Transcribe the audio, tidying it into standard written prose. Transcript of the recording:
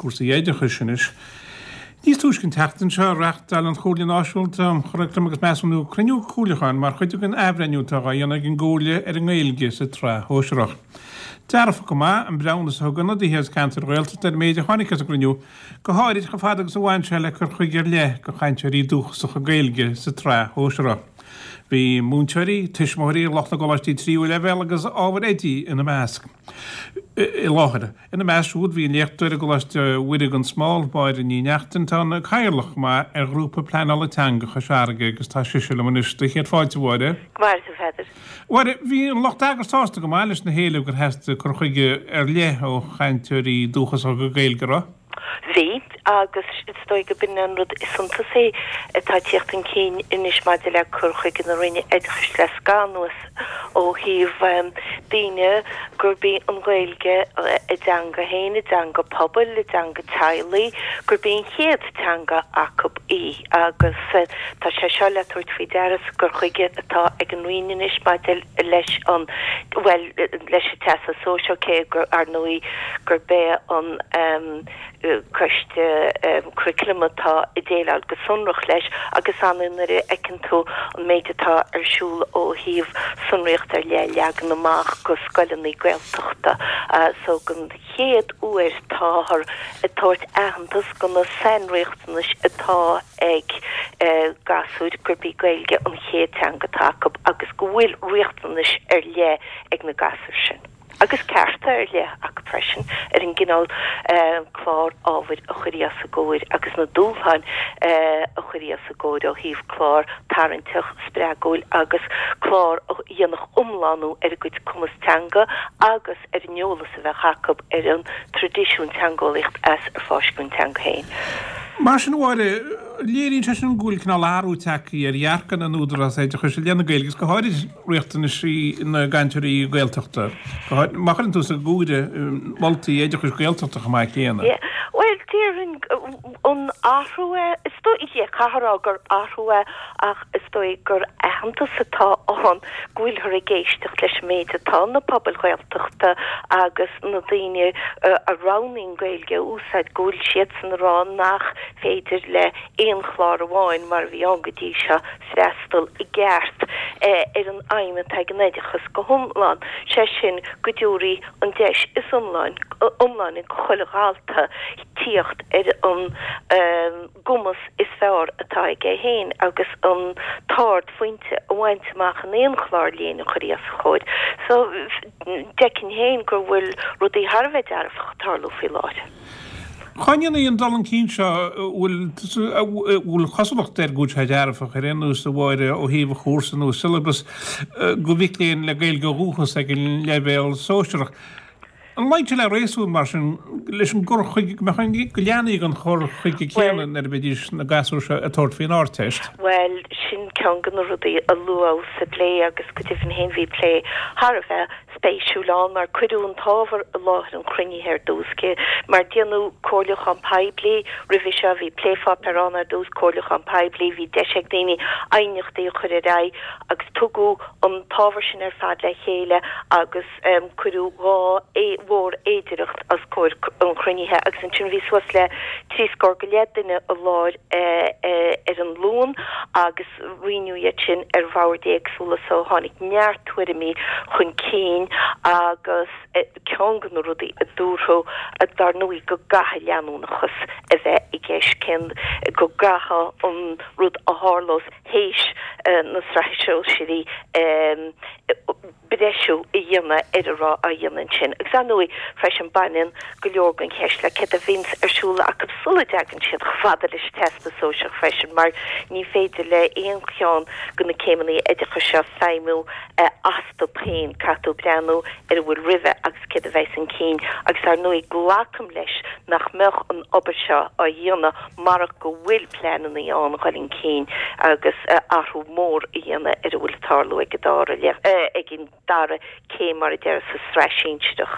Cúrsaí oideachais anois. Níos túisce an tseachtain seo, reáchtáil an Chomhairle Náisiúnta um Churaclam agus Measúnú cruinniú comhairliúcháin mar chuid den athbhreithniú atá á dhéanamh ag an gComhairle ar an nGaeilge sa tsraith shóisearach. Dearfach go maith an breithiúnas a thug ionadaithe as ceantair Ghaeltachta ar an méid a tháinig as an gcruinniú, go háirid chomh fada agus a bhain sé le cur chuige ar leith do chainteoirí dúchasacha Gaeilge sa tsraith shóisearach. Bhí múinteoirí, tuismitheoirí, lucht na gcoláistí tríú leibhéal agus ábhair oidí ina measc i láthair. Ina measc siúd bhí an léachtóir i gColáiste Mhuire gan Smál, Máire Ní Neachtain, atá ina cathaoirleach chomh maith ar Ghrúpa Pleanála Teanga Chois Fharraige agus tá sise liom anois. Do chéad fáilte, a Mháire. Go maire tú, Pheadair. Mháire, bhí an lucht eagrais sásta go maith leis na héilimh gur theastaigh cur chuige ar leith ó chainteoirí dúchasacha Gaeilge, an raibh? Bhí, agus is dóigh go b'in an rud is suntasaí atá ag tíocht chun cinn anois maidir le cur chuige na Roinne Oideachais le scaitheamh anuas ó thaobh daoine gurb í an Ghaeilge a dteanga féin, a dteanga pobail, a dteanga teaghlaigh, gurb í an chéad teanga acu í. Agus tá sé seo le tabhairt faoi deara sa gcur chuige atá ag an Roinn anois maidir leis an, bhuel, leis an Teastas Sóisearach, cé gur, ar ndóigh, gurb é an Coiste Curaclaim atá ag déileáil go sonrach leis agus ar ndóigh nuair a fheiceann tú an méid atá ar siúl ó thaobh sonraíocht ar leith a leagan amach go scoileanna Gaeltachta so don chéad uair táthar ag tabhairt aitheantas go na sainriachtanais atá ag gasúir gurb í Gaeilge an chéad teanga atá acu agus go bhfuil riachtanais ar leith ag na gasúir sin, agus cearta ar leith acu freisin, ar an gcineál clár ábhair a chuirfí os a gcomhair agus na dúshláin a chuirfí os a gcomhair ó thaobh clár tarraingteach, spreagúil agus clár a dhéanfadh iomlánú ar a gcuid cumas teanga agus ar an eolas a bheadh acu ar an traidisiún teangeolaíocht as ar fáisceadh an teanga féin. Mar sin, a Mháire, léiríonn sé sin go bhfuil cineál athrú tagtha ar dhearcadh na n-údarás oideachais i leith na Gaeilge agus go háirid riachtanaisí na gcainteoirí Gaeltachta, má chuireann tú sa gcomhaireamh moltaí oideachais Gaeltachta chomh maith céanna. Bhuel, déarfainn an athrú é, is dóigh, yeah, caithfear a rá gur athrú é ach is dóigh gur aitheantas atá ann go bhfuilthear ag éisteacht leis an méid atá na pobail Ghaeltachta agus na daoine a roghnaíonn Gaeilge a úsáid, go bhfuil siadsan ag rá nach féidir le aon chlár amháin, mar a bhí ann go dtí seo, freastal i gceart ar an aidhm atá ag an oideachas go hiomlán, sé sin go dtabharfaí an deis is iomláine go chuile dhalta tíocht ar an gcumas is fearr atá aige féin agus an t-ardphointe a bhaint amach in aon chlár léinn a chuirfí os a chomhair. So, d'fheicfinn féin go bhfuil rudaí thar a bheith dearfach ag tarlú faoi láthair. Cá ndéanfaidh an dul chun cinn seo, a bhfuil cosúlacht air go bhfuil sé dearfach, ar aon nós, a Mháire, ó thaobh an chúrsa nó syllabus do mhic léinn le Gaeilge ó dhúchas ag an leibhéal sóisearach. An luíonn sé le réasún, mar sin, leis an gcur chuige, go mbeadh an, go leanfaí den chur chuige céanna nuair a bheidís na gasúir seo ag tabhairt faoin Ardteist? Bhuel, sin ceann de na rudaí a luadh sa bplé agus go deimhin féin bhí plé thar a bheith spéisiúil ann mar cuireadh an t-ábhar i láthair an chruinnithe ar dtús, cé mar déanadh comhairliúchán poiblí roimhe seo, bhí plépháipéar ann ar dtús, comhairliúchán poiblí, bhí deis ag daoine aighneachtaí a chur ar aghaidh agus tugadh an t-ábhar sin ar fad le chéile agus cuireadh dhá mhórfhéidireacht os comhair an chruinnithe agus ansin bhí suas le trí scór go leith duine i láthair ar an Luan agus roinneadh iad sin ar bhoird éagsúla so tháinig neart tuairimí chun cinn agus ceann de na rudaí a dúradh dar ndóigh go gcaithfidh leanúnachas a bheith i gceist, cén, go gcaithfidh an rud a tharlós théis na sraithe sóisearaí breisiú a dhéanamh ar a raibh á dhéanamh ansin. Agus ar ndóigh, freisin, baineann go leor den cheist le céard a bhíonns ar siúl acu sula dtagann siad chomh fada leis an Teastas Sóisearach freisin, mar ní féidir le aon cheann de na céimeanna oideachais seo feidhmiú astu féin, caithfidh tú breathnú ar a bhfuil roimhe agus céard a bheas chun cinn. Agus ar ndóigh, glacaim leis nach mbeadh an obair seo á dhéanamh marach go bhfuil pleananna ann a dhul chun cinn agus athrú mór a dhéanamh ar a bhfuil ag tarlú ag an dara ag an dara céim mar a déarfá sa tsraith sinsearach.